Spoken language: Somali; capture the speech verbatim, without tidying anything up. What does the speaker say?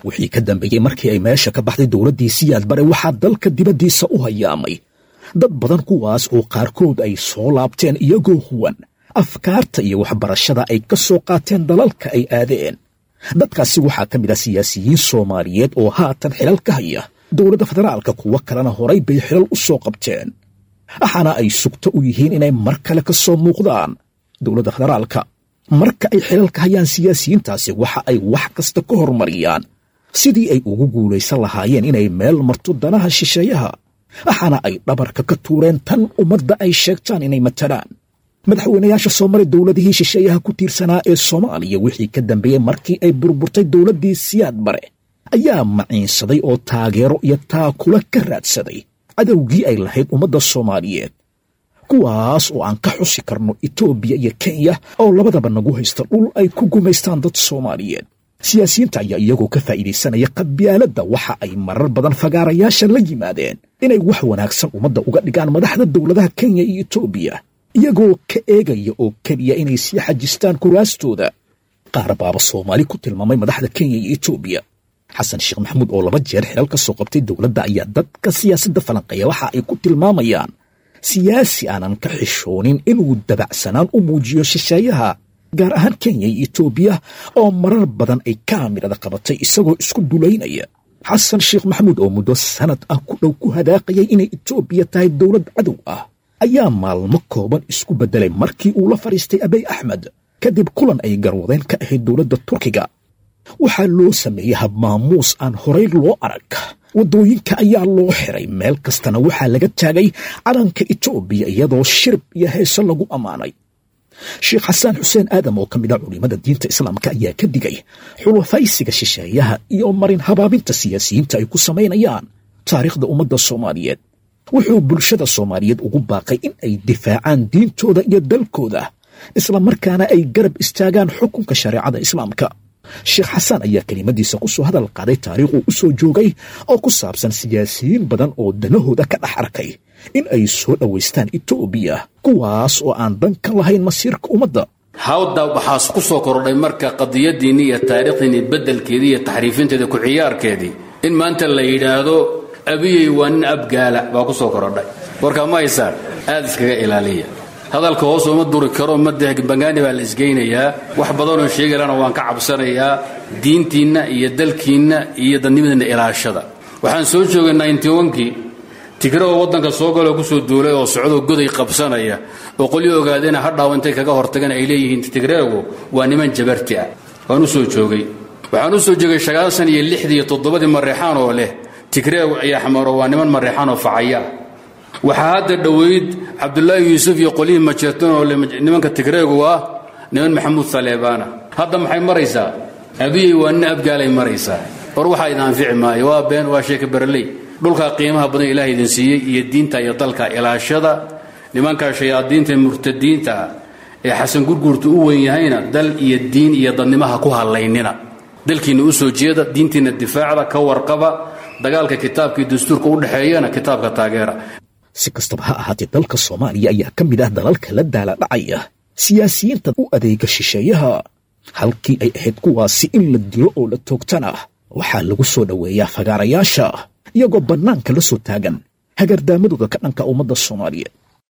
Wixii ka dambeeyey markii ay meesha ka baxday dowladdii Siyaad Bare, waxaa dalka dibaddiisa u hayaamay dad badan, kuwaas oo qaarkood ay soo laabteen iyagoo huwan afkaarta iyo waxbarashada ay ka soo qaateen dalalka ay aadeen. Dadkaasi waxaa ka mid ah siyaasiyiin Soomaaliyeed oo haatan xilal ka haya dowladda federaalka, kuwo kalena horay bay xilal u soo qabteen, waxaana ay sugto u yihiin inay mar kale ka soo muuqdaan dowladda federaalka. Marka ay xilalka hayaan siyaasiyiintaasi, waxa ay wax kasta ka hormariyaan sidii ay ugu guulaysan lahaayeen inay meel marto danaha shisheeyaha, waxaana ay dhabarka ka tuureen tan ummadda ay sheegtaan inay matalaan. Madaxweynayaasha soo maray dowladihii shisheeyaha ku tiirsanaa ee Soomaaliya wixii ka dambeeyey markii ay burburtay dowladdii Siyaad Bare ayaa maciinsaday oo taageero iyo taakula ka raadsaday cadowgii ay lahayd ummadda Soomaaliyeed, kuwaas oo aan ka xusi karno Itoobiya iyo Kenya oo labadaba nagu haysta dhul ay ku gumaystaan dad Soomaaliyeed. Siyaasiyiinta ayaa iyagoo ka faa'iidaysanaya qabyaaladda waxa ay marar badan fagaarayaasha la yimaadeen inay wax wanaagsan ummadda uga dhigaan madaxda dowladaha Kenya iyo Itoobiya, iyagoo ka eegaya oo keliya inay sii xajistaan kuraastooda. Qaar baaba Soomaali ku tilmaamay madaxda Kenya iyo Itoobiya. Xasan Sheekh Maxamuud oo laba jeer xilal ka soo qabtay dowladda ayaa dadka siyaasadda falanqeeya waxa ay ku tilmaamayaan siyaasi aanan ka xishoonin inuu dabacsanaan u muujiyo shisheeyaha, gaar ahaan Kenya iyo Itoobiya oo marar badan ay kaamirada qabatay isagoo isku dulaynaya. Xasan Sheekh Maxamuud oo muddo sanad ah ku dhow ku hadaaqayay inay Itoobiya tahay dowlad cadow ah ayaa maalmo kooban isku beddelay markii uu la fadhiistay Abiy Axmed kadib kulan ay garwadeen ka ahayd dowladda Turkiga. Waxaa loo sameeyey habmaamuus aan horay loo arag, waddooyinka ayaa loo xiray, meel kastana waxaa laga taagay calanka Itoobiya iyadoo shirib iyo heeso lagu ammaanay. Sheekh Xasaan Xuseen Aadam oo ka mid ah culimada diinta Islaamka ayaa ka digay xulafaysiga shisheeyaha iyo marin habaabinta siyaasiyiinta ay ku samaynayaan taariikhda ummadda Soomaaliyeed. Wuxuu bulshada Soomaaliyeed ugu baaqay in ay difaacaan diintooda iyo dalkooda, isla markaana ay garab istaagaan xukunka shareecada Islaamka. Sheekh Xasaan ayaa kelimadiisa ku soo hadal qaaday taariikhuu u soo joogay oo ku saabsan siyaasiyiin badan oo danahooda ka dhex arkay in ay soo dhowaystaan Itoobiya, kuwaas oo aan dan ka lahayn masiirka ummadda. Hawda waxaas ku soo kordhay marka qadiyadiinni iyo taariikhdiinni beddelkeedii iyo taxriifinteedii ku ciyaarkeedii in maanta la yidhaahdo Abiyey waa nin Abgaala baa ku soo korodhay. Warkaa ma haysaan? Aad iskaga ilaaliya hadalka, hoos uma duri karo, ma bangaani baa la isgeynayaa. Wax badanoo sheegi lana waan ka cabsanayaa. Diintiinna iyo dalkiinna iyo dadnimadiinna ilaashada. Waxaan soo joogay ninety-one-kii Tigre oo waddanka soo galoo kusoo duulay oo socdoo goday qabsanaya oo qolyo ogaadena hadhaaw intay kaga hortageen ay leeyihiin Tigreegu waa niman jabarti ah. Waan u soo joogay, waxaan u soo joogay sagaashan iyo lixdii iyo toddobadii Mareexaan oo leh Tigreegu ayaa Xamaro waa niman Mareexaan oo facaya. Waxaa hadda dhoweyd Cabdullaahi Yuusuf iyo qolyihii Majeertan oo leh nimanka Tigreegu waa niman Maxamuud Saleebaana. Hadda maxay maraysaa? Abiyey waa nin Abgaalay maraysaa. War waxaa idin anfici maayo, waa been, waa sheeka berley. Dhulkaa qiimaha badan Ilaah idin siiyey iyo diinta iyo dalka ilaashada. Nimankaa shayaadiinta ee murtadiinta ah ee Xasan Gurguurta u weyn yahayna dal iyo diin iyo dadnimaha ku hallaynina. Dalkiinna u soo jeeda, diintiinna difaacda, ka warqaba dagaalka kitaabka iyo dastuurka u dhexeeyana, kitaabka taageera. Si kastaba ha ahaatee, dalka Soomaaliya ayaa ka mid ah dalalka la daala dhacaya siyaasiyiinta u adeega shisheeyaha. Halkii ay ahayd kuwaasi in la dilo oo la toogtana, waxaa lagu soo dhoweeyaa fagaarayaasha iyagoo bannaanka la soo taagan hagardaamadooda ka dhanka ummadda Soomaaliyeed.